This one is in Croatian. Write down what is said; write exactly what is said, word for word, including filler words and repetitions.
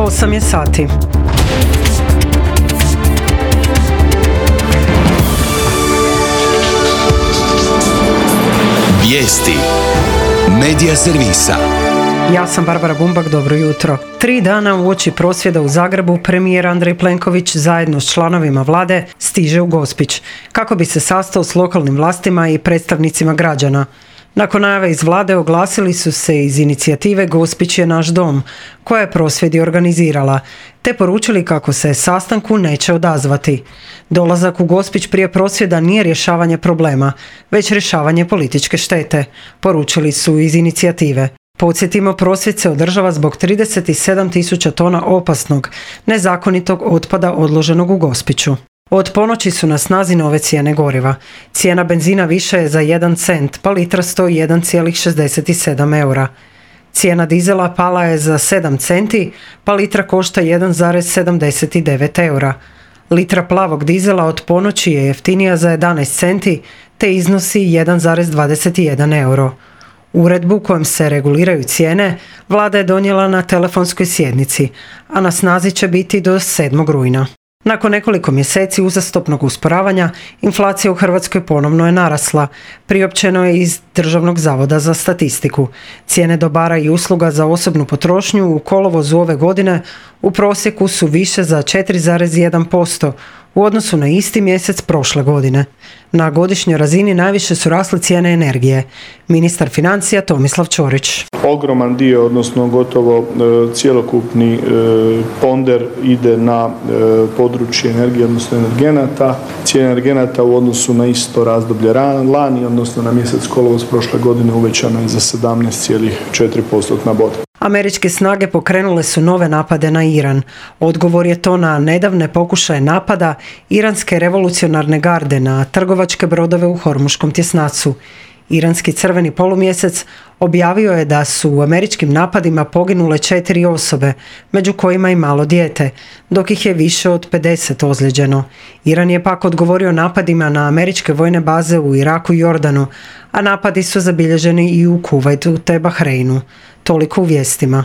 osam je sati. Vijesti Medija servisa. Ja sam Barbara Bumbak, dobro jutro. Tri dana uoči prosvjeda u Zagrebu, premijer Andrej Plenković zajedno s članovima vlade stiže u Gospić, kako bi se sastao s lokalnim vlastima i predstavnicima građana. Nakon najave iz vlade oglasili su se iz inicijative Gospić je naš dom, koja je prosvjed i organizirala, te poručili kako se sastanku neće odazvati. Dolazak u Gospić prije prosvjeda nije rješavanje problema, već rješavanje političke štete, poručili su iz inicijative. Podsjetimo, prosvjed se održava zbog trideset sedam tisuća tona opasnog, nezakonitog otpada odloženog u Gospiću. Od ponoći su na snazi nove cijene goriva. Cijena benzina više je za jedan cent, pa litra stoji jedan zarez šezdeset sedam eura. Cijena dizela pala je za sedam centi, pa litra košta jedan zarez sedamdeset devet eura. Litra plavog dizela od ponoći je jeftinija za jedanaest centi, te iznosi jedan zarez dvadeset jedan euro. Uredbu kojom se reguliraju cijene vlada je donijela na telefonskoj sjednici, a na snazi će biti do sedmog rujna. Nakon nekoliko mjeseci uzastopnog usporavanja, inflacija u Hrvatskoj ponovno je narasla, priopćeno je iz Državnog zavoda za statistiku. Cijene dobara i usluga za osobnu potrošnju u kolovozu ove godine u prosjeku su više za četiri zarez jedan posto u odnosu na isti mjesec prošle godine. Na godišnjoj razini najviše su rasle cijene energije. Ministar financija Tomislav Ćorić. Ogroman dio, odnosno gotovo e, cjelokupni e, ponder ide na e, područje energije, odnosno energenata. Cijena energenata u odnosu na isto razdoblje lani, odnosno na mjesec kolovoz prošle godine, uvećano je za sedamnaest zarez četiri postotna boda. Američke snage pokrenule su nove napade na Iran. Odgovor je to na nedavne pokušaje napada iranske revolucionarne garde na trgovačke brodove u Hormuškom tjesnacu. Iranski crveni polumjesec objavio je da su u američkim napadima poginule četiri osobe, među kojima i malo dijete, dok ih je više od pedeset ozlijeđeno. Iran je pak odgovorio napadima na američke vojne baze u Iraku i Jordanu, a napadi su zabilježeni i u Kuvajtu te Bahreinu. Toliko u vijestima.